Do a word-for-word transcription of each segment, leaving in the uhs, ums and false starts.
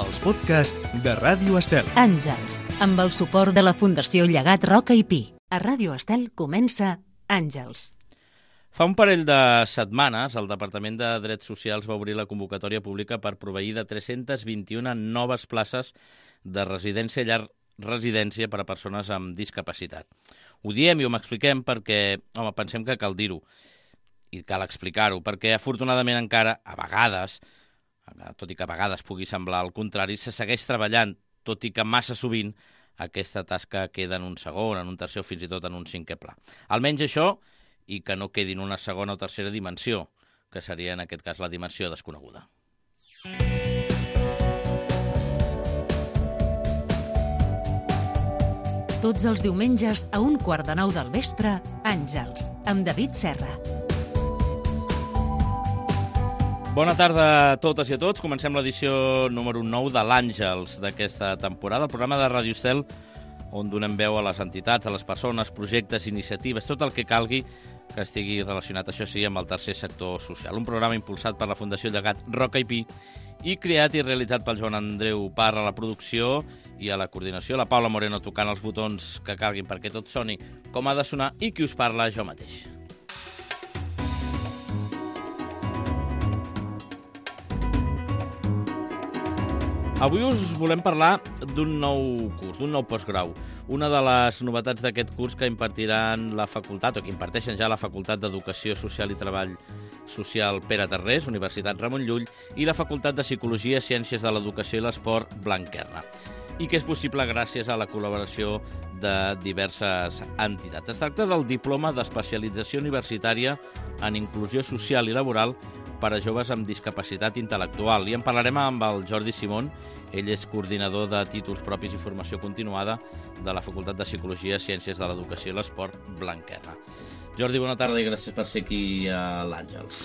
els podcasts de Ràdio Estel. Àngels, amb el suport de la Fundació Llegat Roca i Pi. A Ràdio Estel comença Àngels. Fa un parell de setmanes, el Departament de Drets Socials va obrir la convocatòria pública per proveir de tres-centes vint-i-una noves places de residència i llar residència per a persones amb discapacitat. Ho diem i ho expliquem perquè, home, pensem que cal dir-ho i cal explicar-ho, perquè afortunadament encara, a vegades, tot i que a vegades pugui semblar el contrari, se segueix treballant, tot i que massa sovint aquesta tasca queda en un segon, en un tercer o fins i tot en un cinquè pla. Almenys això, i que no quedi en una segona o tercera dimensió, que seria en aquest cas la dimensió desconeguda. Tots els diumenges a un quart de nou del vespre, Àngels, amb David Serra. Bona tarda a totes i a tots. Comencem l'edició número nou de l'Àngels d'aquesta temporada, el programa de Ràdio Estel, on donem veu a les entitats, a les persones, projectes, iniciatives, tot el que calgui que estigui relacionat, això sí, amb el tercer sector social. Un programa impulsat per la Fundació Llegat Roca i Pi i creat i realitzat pel Joan Andreu Parra a la producció i a la coordinació, la Paula Moreno tocant els botons que calguin perquè tot soni com ha de sonar i qui us parla, jo mateix. Avui us volem parlar d'un nou curs, d'un nou postgrau. Una de les novetats d'aquest curs que impartiran la facultat, o que imparteixen ja la Facultat d'Educació Social i Treball Social Pere Tarrés, Universitat Ramon Llull, i la Facultat de Psicologia, Ciències de l'Educació i l'Esport Blanquerna, i que és possible gràcies a la col·laboració de diverses entitats. Es tracta del Diploma d'Especialització Universitària en Inclusió Social i Laboral per a joves amb discapacitat intel·lectual. I en parlarem amb el Jordi Simón. Ell és coordinador de títols propis i formació continuada de la Facultat de Psicologia, Ciències de l'Educació i l'Esport Blanquerna. Jordi, bona tarda i gràcies per ser aquí a l'Àngels.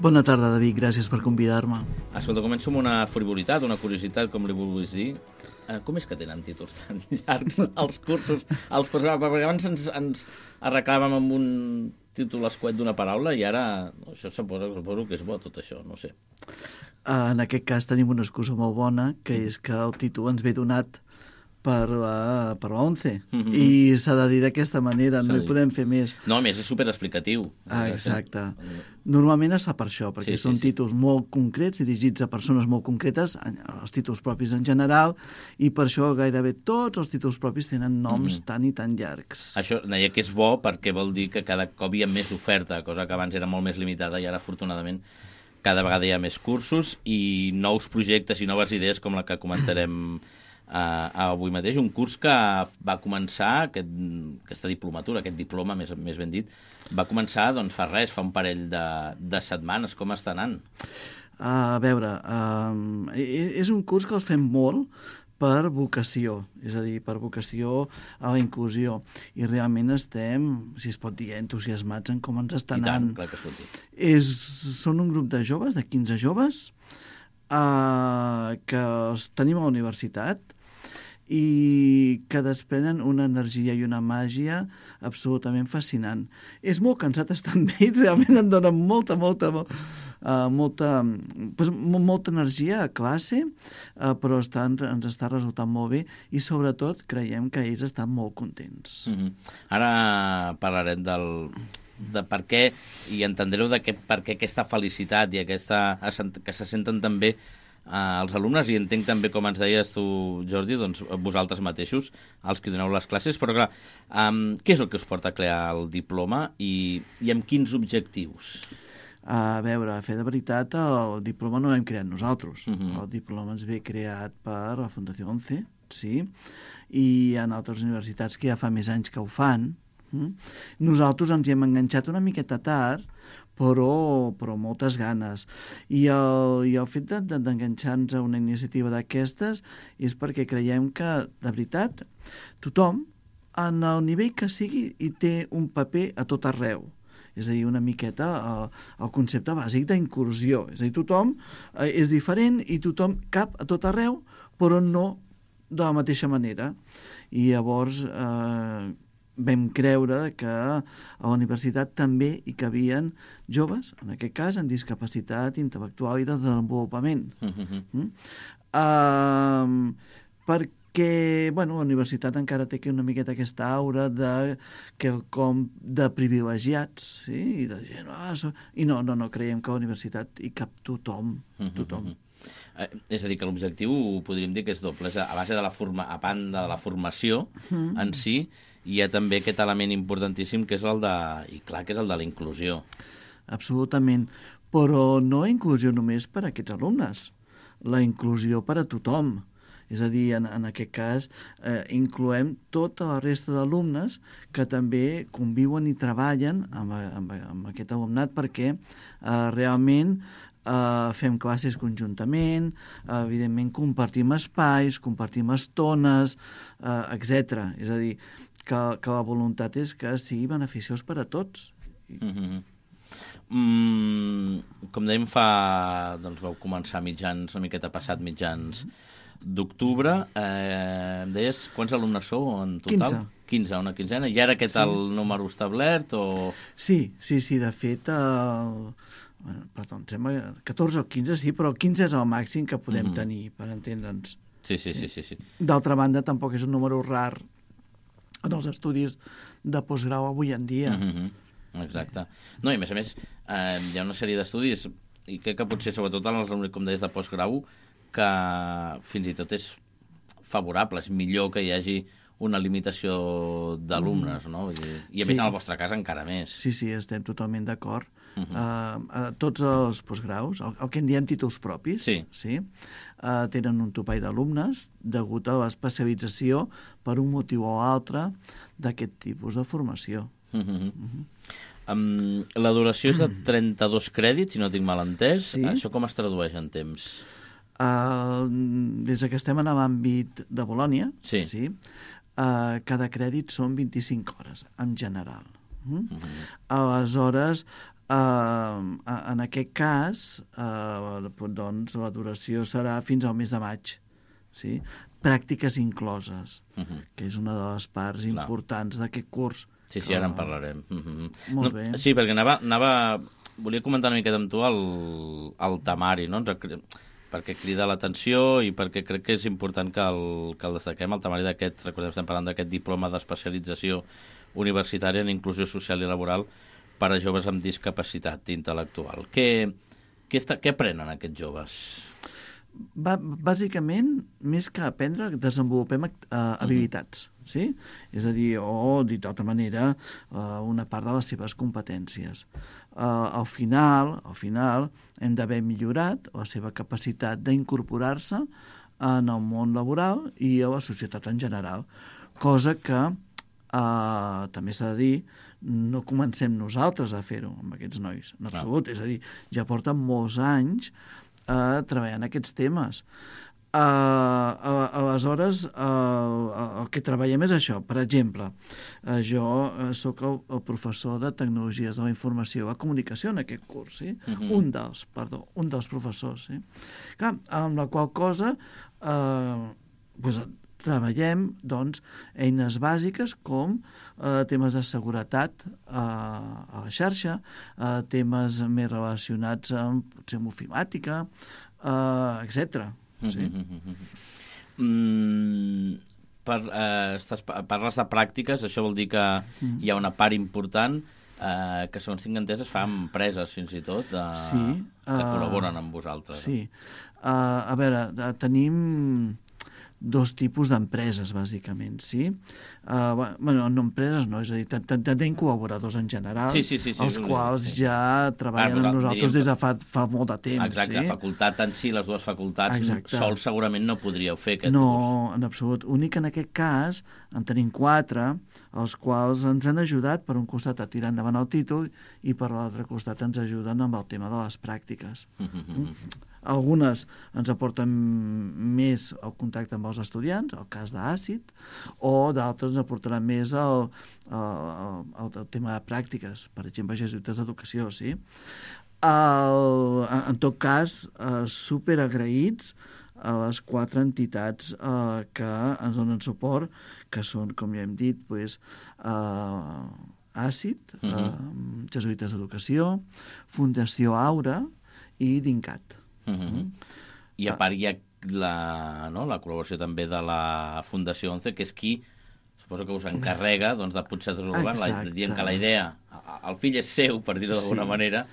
Bona tarda, David, gràcies per convidar-me. Escolta, començo amb una frivolitat, una curiositat, com li vulguis dir. Uh, com és que tenen títols tan llargs els cursos, els postgraus? Perquè abans ens, ens arreglàvem amb un títol escuet d'una paraula i ara no, això suposo, suposo que és bo, tot això, no sé. Uh, en aquest cas tenim una excusa molt bona, que és que el títol ens ve donat per la, per la ONCE, mm-hmm. i s'ha de dir d'aquesta manera, no hi podem fer més. No, a més, és superexplicatiu. Ah, exacte. Normalment es fa per això, perquè sí, són sí, títols sí. molt concrets, dirigits a persones molt concretes, els títols propis en general, i per això gairebé tots els títols propis tenen noms mm-hmm. tan i tan llargs. Això deia que és bo perquè vol dir que cada cop hi ha més oferta, cosa que abans era molt més limitada i ara, afortunadament, cada vegada hi ha més cursos i nous projectes i noves idees com la que comentarem Uh, avui mateix, un curs que va començar, aquest, aquesta diplomatura, aquest diploma, més, més ben dit, va començar doncs, fa res, fa un parell de, de setmanes. Com està anant? Uh, a veure, uh, és un curs que els fem molt per vocació, és a dir, per vocació a la inclusió, i realment estem, si es pot dir, entusiasmats en com ens està anant. I tant, clar que es pot dir. És, són un grup de joves, de quinze joves, uh, que els tenim a la universitat, i que desprenen una energia i una màgia absolutament fascinant. És molt cansat estar amb ells, realment em donen molta, molta, uh, molta, pues, molta energia a classe, uh, però està, ens està resultant molt bé i sobretot creiem que ells estan molt contents. Mm-hmm. Ara parlarem del de per què, i entendreu de què, per què aquesta felicitat i aquesta, que se senten també Uh, els alumnes, i entenc també, com ens deies tu, Jordi, doncs vosaltres mateixos, els que doneu les classes, però clar, um, què és el que us porta a crear el diploma i, i amb quins objectius? A veure, a fer de veritat, el diploma no l'hem creat nosaltres. Uh-huh. El diploma ens ve creat per la Fundació ONCE, sí, i hi ha altres universitats que ja fa més anys que ho fan. Mm? Nosaltres ens hi hem enganxat una miqueta tard, però, però moltes ganes. I el, i el fet d'enganxar-nos a una iniciativa d'aquestes és perquè creiem que, de veritat, tothom, en el nivell que sigui, hi té un paper a tot arreu. És a dir, una miqueta el, el concepte bàsic d'inclusió. És a dir, tothom eh, és diferent i tothom cap a tot arreu, però no de la mateixa manera. I llavors... Eh, vam creure que a la universitat també hi cabien joves, en aquest cas, amb discapacitat intel·lectual i de desenvolupament. Mm-hmm. Mm? Uh, perquè, bueno, la universitat encara té una miqueta aquesta aura de, que, com de privilegiats, sí? I de gent, ah, so... i no, no, no, creiem que a la universitat hi cap tothom, tothom. Mm-hmm. Eh, és a dir, que l'objectiu podríem dir que és doble. És a, a base de la forma, a banda de la formació mm. en si, hi ha també aquest element importantíssim que és el de, i clar, que és el de la inclusió. Absolutament, però no inclusió només per a aquests alumnes, la inclusió per a tothom. És a dir, en, en aquest cas, eh, incloem tota la resta d'alumnes que també conviuen i treballen amb, amb, amb aquest alumnat perquè eh, realment Uh, fem classes conjuntament, uh, evidentment compartim espais, compartim estones, uh, etcètera. És a dir, que, que la voluntat és que sigui beneficiós per a tots. Mm-hmm. mm, com dèiem, fa, doncs vau començar mitjans, una miqueta passat mitjans d'octubre. Eh, em deies, quants alumnes sou en total? quinze. quinze, una quinzena. I ara aquest sí. El número establert? O... Sí, sí, sí, de fet... El... Bueno, perdó, em sembla catorze o quinze, sí, però quinze és el màxim que podem mm-hmm. tenir, per entendre'ns. Sí, sí, sí, sí, sí. D'altra banda, tampoc és un número rar en els estudis de postgrau avui en dia. Mm-hmm. Exacte. No, i a més a més, eh, hi ha una sèrie d'estudis, i crec que potser, sobretot en els, com deies, de postgrau, que fins i tot és favorable, és millor que hi hagi una limitació d'alumnes, no? I, i a més, sí. En el vostre cas, encara més. Sí, sí, estem totalment d'acord. Uh-huh. Uh, uh, tots els postgraus, el, el que en diem títols propis, sí. Sí, uh, tenen un topall d'alumnes degut a l'especialització per un motiu o altre d'aquest tipus de formació. Uh-huh. Uh-huh. Um, la duració és de trenta-dos crèdits, si no tinc mal entès. Sí. Això com es tradueix en temps? Uh, des que estem en l'àmbit de Bolònia, sí. Sí, uh, cada crèdit són vint-i-cinc hores, en general. Uh-huh. Uh-huh. Aleshores, Uh, en aquest cas, uh, doncs, la duració serà fins al mes de maig. Sí? Pràctiques incloses, uh-huh. que és una de les parts Clar. Importants d'aquest curs. Sí, sí, ara en parlarem. Uh-huh. Molt no, bé. Sí, perquè anava, anava... Volia comentar una miqueta amb tu el, el temari, no? Perquè crida l'atenció i perquè crec que és important que el, que el destaquem, el temari d'aquest, recordem, estem parlant d'aquest diploma d'especialització universitària en inclusió social i laboral per a joves amb discapacitat intel·lectual. Què, què, està, què aprenen aquests joves? Va, bàsicament, més que aprendre, desenvolupem uh, habilitats, uh-huh. sí? És a dir, o, dit d'altra manera, uh, una part de les seves competències. Uh, al final, al final, hem d'haver millorat la seva capacitat d'incorporar-se en el món laboral i a la societat en general, cosa que Uh, també s'ha de dir, no comencem nosaltres a fer-ho amb aquests nois, en absolut. Ah. És a dir, ja porten molts anys uh, treballant aquests temes. Uh, aleshores, uh, el que treballem és això. Per exemple, uh, jo uh, sóc el, el professor de Tecnologies de la Informació i la Comunicació en aquest curs, sí? Uh-huh. un dels, perdó, un dels professors. Sí? Clar, amb la qual cosa... Uh, pues, treballem, doncs, eines bàsiques com eh, temes de seguretat eh, a la xarxa, eh, temes més relacionats amb, potser, amb ofimàtica, eh, etcètera. Sí. Mm, per, eh, estàs, parles de pràctiques, això vol dir que mm. hi ha una part important eh, que, segons tinc entès, es fa amb empreses, fins i tot, eh, sí, que uh, col·laboren amb vosaltres. Sí. Uh, a veure, tenim... dos tipus d'empreses, bàsicament, sí? Uh, bueno, no empreses, no, és a dir, tenim col·laboradors en general, sí, sí, sí, sí, els sí, quals sí. ja treballen ah, amb nosaltres diríem... des de fa, fa molt de temps. Exacte, sí? La facultat en si, les dues facultats, Exacte. Sols segurament no podríeu fer aquest no, curs. No, en absolut. Únic en aquest cas, en tenim quatre, els quals ens han ajudat, per un costat, a tirar endavant el títol i per l'altre costat ens ajuden amb el tema de les pràctiques. Mm? Algunes ens aporten més el contacte amb els estudiants, el cas d'àcid, o d'altres ens aportaran més el, el, el, el tema de pràctiques, per exemple, jesuïtes d'educació, sí? El, en tot cas, eh, superagraïts a les quatre entitats eh, que ens donen suport, que són, com ja hem dit, pues, eh, ACID, uh -huh. eh, Jesuïtes d'Educació, Fundació Aura i DINCAT. Uh -huh. mm? I a part hi ha la, no, la col·laboració també de la Fundació onze, que és qui suposo que us encarrega doncs, de potser desenvolupar, dient que la idea, el fill és seu, per dir-ho d'alguna sí. manera,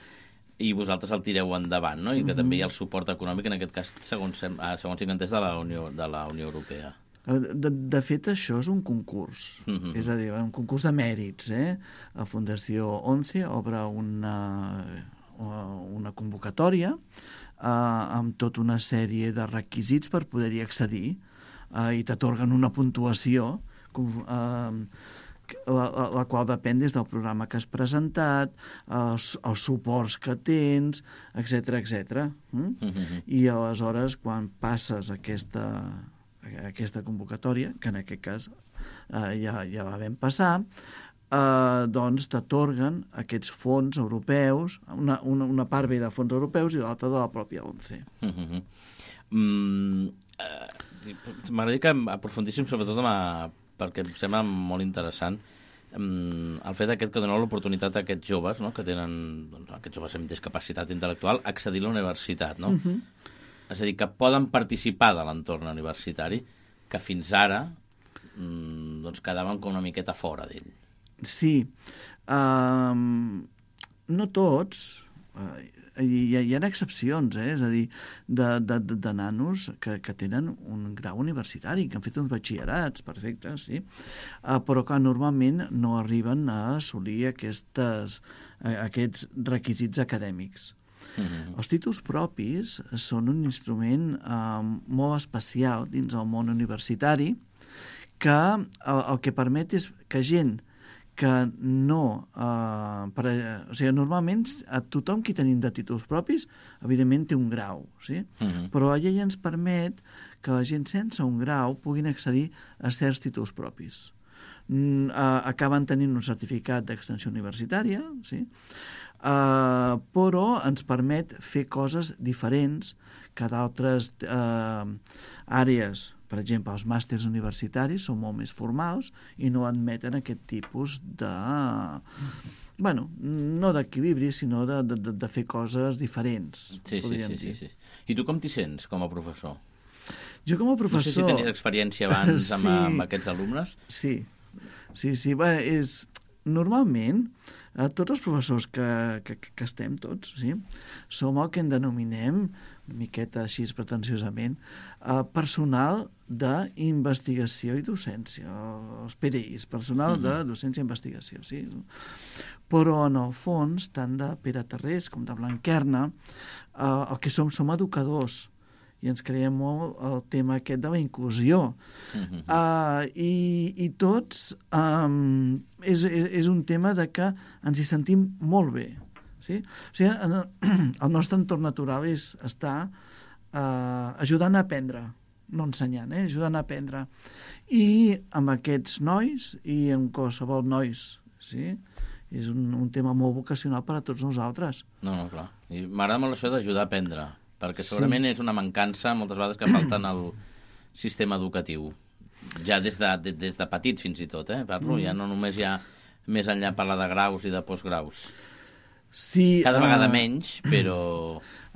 i vosaltres el tireu endavant, no? I que uh -huh. també hi ha el suport econòmic, en aquest cas, segons, segons tinc entès, de la Unió, de la Unió Europea. De, de fet, això és un concurs, uh -huh. és a dir, un concurs de mèrits. Eh? La Fundació onze obre una, una convocatòria eh, amb tota una sèrie de requisits per poder-hi accedir eh, i t'atorguen una puntuació eh, la, la qual depèn des del programa que has presentat, els, els suports que tens, etcètera, etcètera. Mm? Uh-huh. I aleshores, quan passes aquesta, aquesta convocatòria, que en aquest cas eh, ja, ja la vam passar, eh, doncs t'atorguen aquests fons europeus, una, una, una part ve de fons europeus i l'altra de la pròpia onze. Uh-huh. mm, uh, M'agradaria que aprofundíssim sobretot amb a perquè em sembla molt interessant el fet aquest que dona l'oportunitat a aquests joves, no? que tenen, doncs, aquests joves amb discapacitat intel·lectual, accedir a la universitat, no? Uh-huh. És a dir, que poden participar de l'entorn universitari, que fins ara doncs, quedaven com una miqueta fora d'ell. Sí. Um, no tots... Uh, Hi ha, hi ha excepcions, eh? És a dir, de, de, de nanos que, que tenen un grau universitari, que han fet uns batxillerats perfectes, sí? Uh, però que normalment no arriben a assolir aquestes, uh, aquests requisits acadèmics. Uh-huh. Els títols propis són un instrument uh, molt especial dins el món universitari que el, el que permet és que gent que no... Eh, per, o sigui, normalment a tothom qui tenim de títols propis, evidentment té un grau, sí? Uh-huh. Però la llei ens permet que la gent sense un grau puguin accedir a certs títols propis. Mm, eh, acaben tenint un certificat d'extensió universitària, sí? Eh, però ens permet fer coses diferents que d'altres eh, àrees. Per exemple, els màsters universitaris són molt més formals i no admeten aquest tipus de... bueno, no d'equilibri, sinó de, de, de fer coses diferents, sí, podríem sí, sí, dir. Sí, sí. I tu com t'hi sents, com a professor? Jo com a professor... No sé si tenies experiència abans sí. amb, amb aquests alumnes. Sí, sí, sí. Bé, és... Normalment, eh, tots els professors que, que, que estem tots, sí, som el que en denominem, una miqueta així pretensiosament, eh, personal d'investigació i docència, els P D Is, personal uh-huh. de docència i investigació, sí. Però, en el fons, tant de Pere Tarrés com de Blanquerna, eh, el que som som educadors, i ens creiem molt el tema aquest de la inclusió. Uh-huh. Uh, i, I tots um, és, és, és un tema de que ens hi sentim molt bé. Sí? O sigui, en el, el nostre entorn natural és estar uh, ajudant a aprendre, no ensenyant, eh? ajudant a aprendre. I amb aquests nois i amb qualsevol nois, sí? És un, un tema molt vocacional per a tots nosaltres. No, no, clar. I m'agrada molt això d'ajudar a aprendre, perquè segurament sí. és una mancança moltes vegades que falta en el sistema educatiu. Ja des de, de, des de petit fins i tot, eh? Parlo, mm. ja no només hi ha més enllà parlar de graus i de postgraus. Sí, Cada vegada uh, menys, però...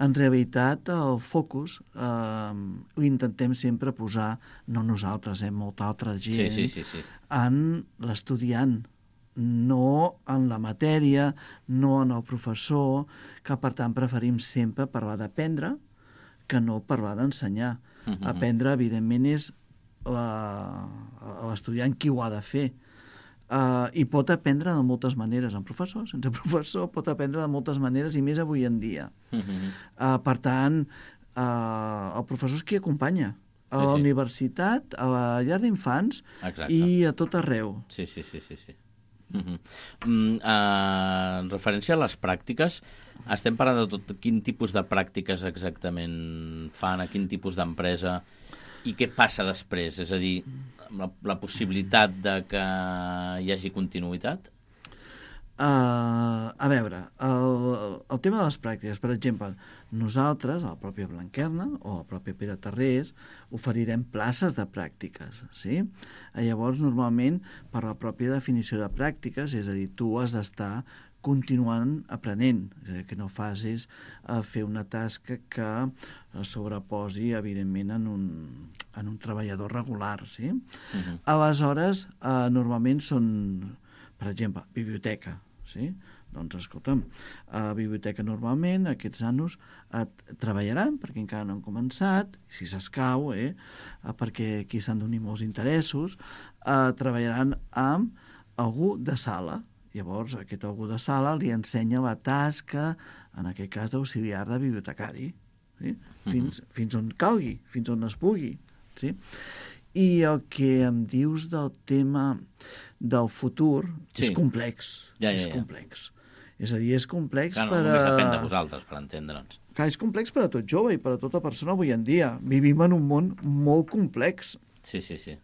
En realitat, el focus uh, ho intentem sempre posar, no nosaltres, eh, molta altra gent, sí, sí, sí, sí. en l'estudiant, no en la matèria, no en el professor, que per tant preferim sempre parlar d'aprendre que no parlar d'ensenyar. Uh-huh. Aprendre, evidentment, és l'estudiant qui ho ha de fer. Uh, I pot aprendre de moltes maneres, en professor, sense professor, pot aprendre de moltes maneres i més avui en dia. Uh-huh. Uh, per tant, uh, el professor és qui acompanya a la sí, sí. universitat, a la llar d'infants i a tot arreu. Sí, sí, sí, sí, sí. Uh-huh. mm, uh, en referència a les pràctiques, estem parlant de tot quin tipus de pràctiques exactament fan, a quin tipus d'empresa i què passa després, és a dir, la, la possibilitat de que hi hagi continuïtat? Uh, a veure, el, el tema de les pràctiques, per exemple, nosaltres, a la pròpia Blanquerna o a la pròpia Pere Tarrés, oferirem places de pràctiques, sí? Llavors, normalment, per la pròpia definició de pràctiques, és a dir, tu has d'estar continuant aprenent, és a dir, que no facis uh, fer una tasca que sobreposi, evidentment, en un, en un treballador regular, sí? Uh-huh. Aleshores, uh, normalment són, per exemple, biblioteca, sí? Doncs, escolta'm, a la biblioteca normalment aquests nanos eh, treballaran, perquè encara no han començat, si s'escau, eh, perquè aquí s'han d'unir molts interessos, eh, treballaran amb algú de sala. Llavors, aquest algú de sala li ensenya la tasca, en aquest cas, d'auxiliar de bibliotecari, sí? fins, uh-huh. fins on calgui, fins on es pugui, sí? I el que em dius del tema del futur sí. és complex. Ja, ja, és ja. complex. És a dir, és complex Clar, no, per a... només depèn de vosaltres, per entendre'ns. Clar, és complex per a tot jove i per a tota persona avui en dia. Vivim en un món molt complex. Sí, sí, sí.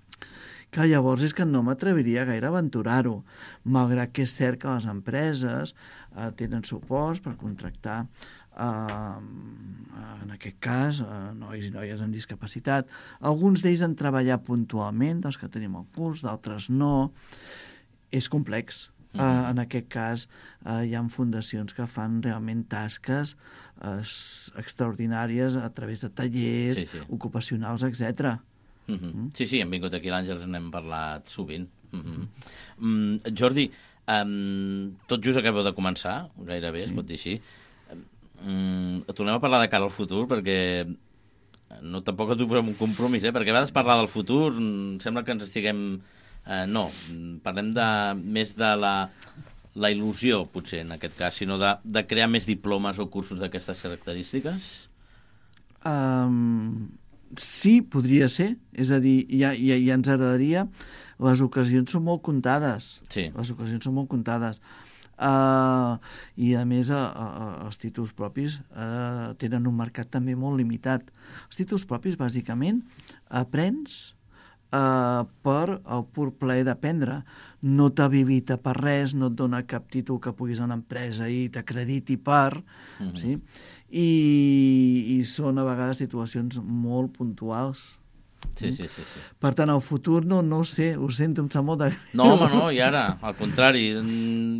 Que llavors és que no m'atreviria gaire a aventurar-ho, malgrat que és cert que les empreses eh, tenen suports per contractar Uh, en aquest cas, uh, nois i noies amb discapacitat. Alguns d'ells han treballat puntualment, dels que tenim al curs, d'altres no. És complex. Uh, uh, en aquest cas, uh, hi ha fundacions que fan realment tasques uh, extraordinàries a través de tallers, sí, sí. ocupacionals, etcètera. Uh -huh. mm? Sí, sí, hem vingut aquí a l'Àngels, n'hem parlat sovint. Uh -huh. mm, Jordi, um, tot just acabeu de començar, gairebé, sí. es pot dir així. Mm, tornem a parlar de cara al futur, perquè no, tampoc et posem un compromís, eh? perquè a vegades parlar del futur sembla que ens estiguem... Eh, no, parlem de, més de la, la il·lusió, potser, en aquest cas, sinó de, de crear més diplomes o cursos d'aquestes característiques? Um, sí, podria ser. És a dir, ja, ja, ja ens agradaria... Les ocasions són molt comptades. Sí. Les ocasions són molt comptades. Uh, I a més uh, uh, els títols propis uh, tenen un mercat també molt limitat. Els títols propis bàsicament aprens uh, per el pur plaer d'aprendre, no t'habilita per res, no et dona cap títol que puguis a una empresa i t'acrediti per uh-huh. sí? I, i són a vegades situacions molt puntuals. Sí, sí, sí, sí. Per tant, el futur no, no ho sé, ho sento, em sap molt de... No, home, no, i ara, al contrari,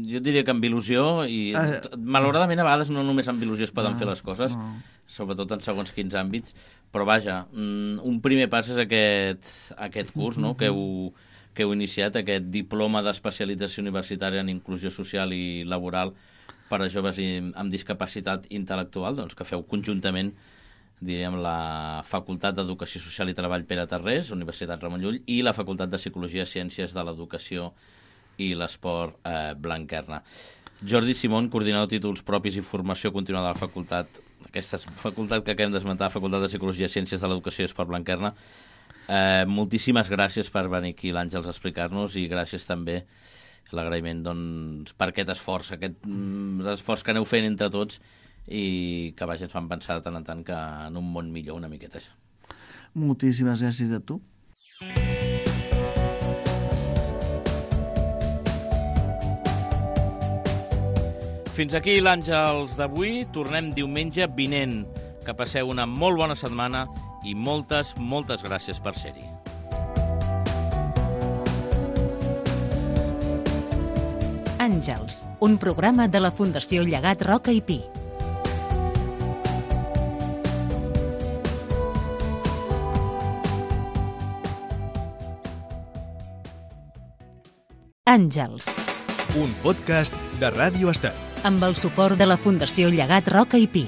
jo diria que amb il·lusió, i uh, malauradament a vegades no només amb il·lusió es poden no, fer les coses, no. sobretot en segons quins àmbits, però vaja, un primer pas és aquest, aquest curs, no?, que heu, que heu iniciat, aquest diploma d'especialització universitària en inclusió social i laboral per a joves amb discapacitat intel·lectual, doncs que feu conjuntament diríem, la Facultat d'Educació Social i Treball Pere Tarrés, Universitat Ramon Llull, i la Facultat de Psicologia, Ciències de l'Educació i l'Esport eh, Blanquerna. Jordi Simón, coordinador de títols propis i formació continuada de la facultat, aquesta facultat que acabem d'esmentar, Facultat de Psicologia, Ciències de l'Educació i Esport Blanquerna, eh, moltíssimes gràcies per venir aquí l'Àngels a explicar-nos i gràcies també l'agraïment doncs, per aquest esforç, aquest mm, esforç que aneu fent entre tots i que vaja, ens fan pensar de tant en tant que en un món millor una miqueta això. Moltíssimes gràcies a tu. Fins aquí l'Àngels d'avui. Tornem diumenge vinent. Que passeu una molt bona setmana i moltes, moltes gràcies per ser-hi. Àngels, un programa de la Fundació Llegat Roca i Pi. Àngels. Un podcast de Ràdio Estel. Amb el suport de la Fundació Llegat Roca i Pi.